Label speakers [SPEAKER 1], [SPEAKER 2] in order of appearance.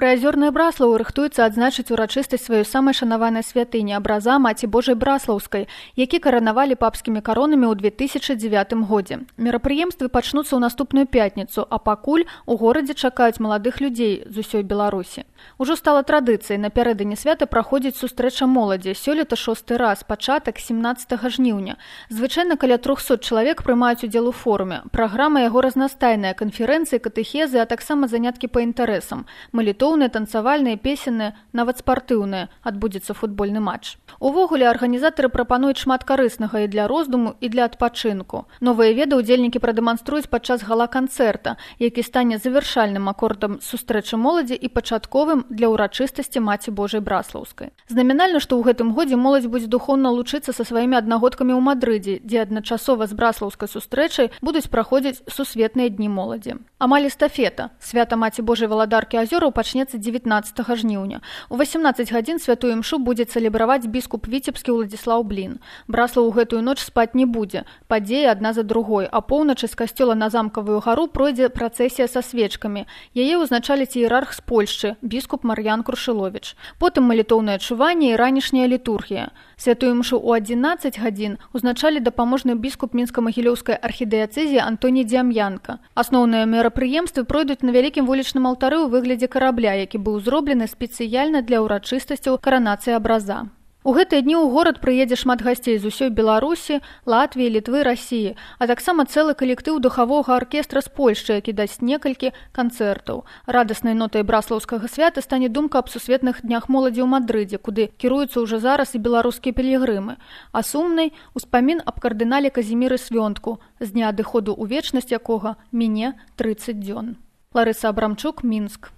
[SPEAKER 1] Прыазёрная Браслаў рыхтуецца адзначыць урачыстасць сваёй самай шанаванай святыні абраза Маці Божай Браслаўскай, які каранавалі папскімі каронамі ў 2009 годзе. Мерапрыемствы пачнуцца ў наступную пятніцу, а пакуль у горадзе чакаюць маладых людзей з усёй Беларусі. Ужо стала традыцыяй напярэдадні свята праходзіць сустрэча моладзі. Сёлета 6-й раз, пачатак 17 жніўня. Звычайна каля 300 чалавек прымаюць удзел у форуме. Праграма яго разнастайная: канферэнцыі, катэхезы, а таксама заняткі па інтарэсам. Малітоўныя, танцавальныя, песенныя, нават спартыўныя. Адбудзецца футбольны матч. Увогуле, арганізатары прапануюць шмат карыснага і для роздуму, і для адпачынку. Новыя веды ўдзельнікі прадэманструюць падчас гала-канцэрта, які стане завяршальным акордам сустрэчы моладзі і пачатковым для ўрачыстасці Маці Божай Браслаўскай. Знамінальна, што ў гэтым годзе моладзь будзе духоўна лучыцца са сваімі аднагодкамі ў Мадрыдзе, дзе адначасова з браслаўскай сустрэчай будуць праходзіць сусветныя дні моладзі. Амаль эстафета. Свята Маці Божай Валадаркі Азёраў пачнецца 19 жніўня. У 18 гадзін святую імшу будзе цэлебраваць біскуп віцебскі Уладзіслаў Блін. Браслаў у гэтую ноч спаць не будзе. Падзеі адна за другой. А поўначы з касцёла на Замкавую гару пройдзе працэсія са свечкамі. Яе ўзначаліць іерарх з Польшчы, біскуп Мар'ян Крушыловіч. Потым малітоўнае чуванне і ранішняя літургія. Святую імшу ў 11 гадзін узначалі дапаможны біскуп Мінска-Магілёўскай архідыяцэзіі Антоній Дзям'янка. Асноўныя мерапрыемствы пройдуць на вялікім вулічным алтары ў выглядзе карабля, які быў зроблены спецыяльна для ўрачыстасцяў каранацыі абраза. У гэтыя дні ў горад прыедзе шмат гасцей з усёй Беларусі, Латвіі, Літвы, Расіі, а таксама цэлы калектыў духавога аркестра з Польшчы, які дасць некалькі канцэртаў. Радаснай нотай браслаўскага свята стане думка аб сусветных днях моладзі ў Мадрыдзе, куды кіруюцца ўжо зараз і беларускія пілігрымы. А сумнай успамін аб кардынале Казіміры Свёнтку, з дня адыходу ў вечнасць якога міне 30 дзён. Ларыса Абрамчук, Мінск.